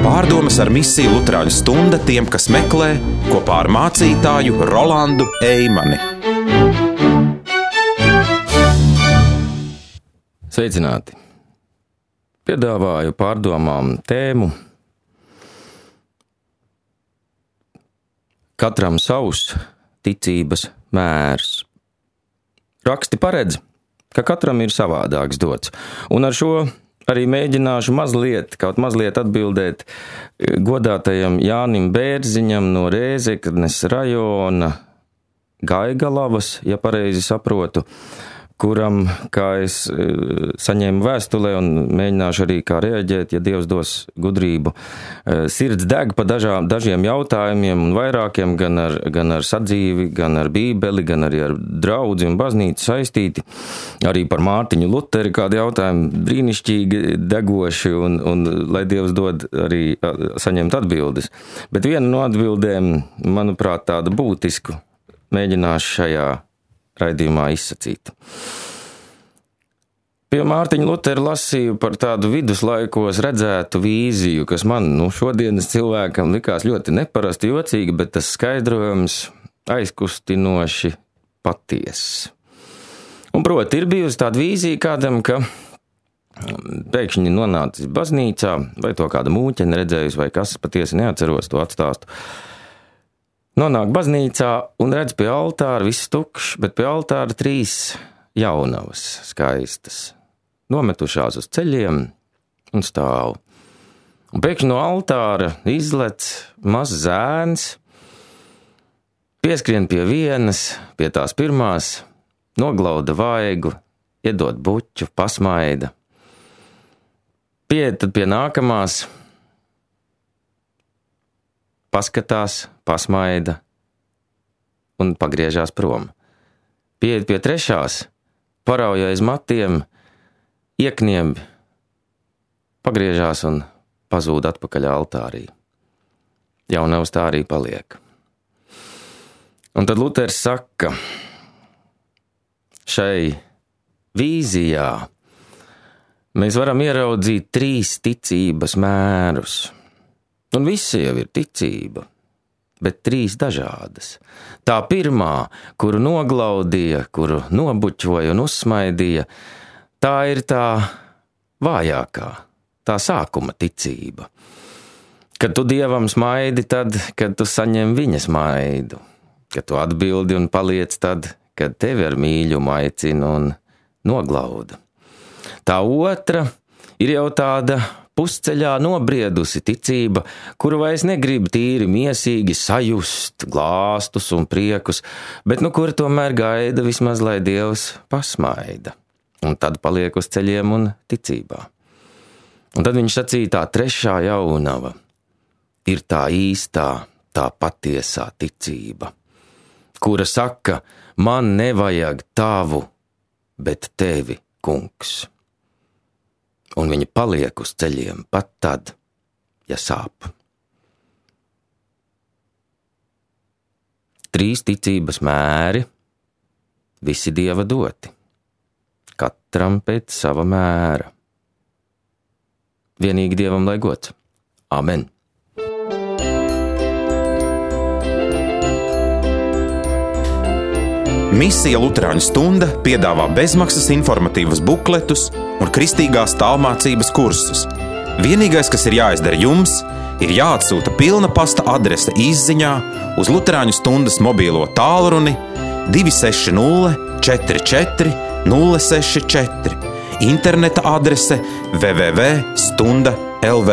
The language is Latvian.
Pārdomas ar misiju Luterāņu stunda tiem, kas meklē, kopā ar mācītāju Rolandu Eimani. Sveicināti! Piedāvāju pārdomām tēmu Katram savs ticības mērs. Raksti paredz, ka katram ir savādāks dots, un ar šo arī mēģināšu kaut mazliet atbildēt godātajam Jānim Bērziņam no Rēzeknes rajona Gaigalavas, ja pareizi saprotu, kuram, kā es saņēmu vēstulē un mēģināšu arī kā reaģēt, ja Dievs dos gudrību, sirds deg pa dažiem jautājumiem un vairākiem, gan ar sadzīvi, gan ar Bībeli, gan arī ar draudzi un baznīcu saistīti. Arī par Mārtiņu Luteri kādi jautājumi brīnišķīgi degoši un lai Dievs dod arī saņemt atbildes. Bet viena no atbildēm, manuprāt, tāda būtisku mēģināšu šajā raidījumā izsacīt. Pie Mārtiņa Lutera lasīju par tādu viduslaikos redzētu vīziju, kas man, šodienas cilvēkam likās ļoti neparasti jocīgi, bet tas skaidrojums aizkustinoši patiess. Un proti, ir bijusi tāda vīzija kādam, ka pēkšņi nonācis baznīcā, vai to kāda mūķene redzējusi, vai kas, patiesi neatceros to atstāstu. Nonāk baznīcā un redz pie altāra viss tukšs, bet pie altāra 3 jaunavas skaistas, nometušās uz ceļiem un stāv. Un pēkšņi no altāra izlec mazs zēns, pieskrien pie vienas, pie tās pirmās, noglauda vaigu, iedod buķu, pasmaida. Pieiet tad pie nākamās, paskatās, pasmaida un pagriežās prom. Pieiet pie trešās, parauja aiz matiem, iekniemb, pagriežās un pazūd atpakaļ altārī. Jaunavs tā arī paliek. Un tad Luters saka, šai vīzijā mēs varam ieraudzīt 3 ticības mērus. Un visi jau ir ticība, bet 3 dažādas. Tā pirmā, kuru noglaudīja, kuru nobuķoja un uzsmaidīja, tā ir tā vājākā, tā sākuma ticība. Kad tu Dievam smaidi tad, kad tu saņem viņa smaidu, kad tu atbildi un paliec tad, kad tevi ar mīļumu aicina un noglauda. Tā otra ir jau tāda pusceļā nobriedusi ticība, kuru vairs negrib tīri miesīgi sajust glāstus un priekus, bet kur tomēr gaida vismaz, lai Dievs pasmaida. Un tad paliek uz ceļiem un ticībā. Un tad viņš sacīja, tā trešā jaunava ir tā īstā, tā patiesā ticība, kura saka, man nevajag tavu, bet tevi, kungs. Un viņi paliek uz ceļiem pat tad, ja sāp. 3 ticības mēri, visi Dieva doti, katram pēc sava mēra. Vienīgi Dievam lai gods. Amen. Misija Luterāņu stunda piedāvā bezmaksas informatīvas bukletus un kristīgās tālmācības kursus. Vienīgais, kas ir jāizdara jums, ir jāatsūta pilna pasta adrese izziņā uz Luterāņu stundas mobīlo tālruni 260 44 064, interneta adrese www.stunda.lv.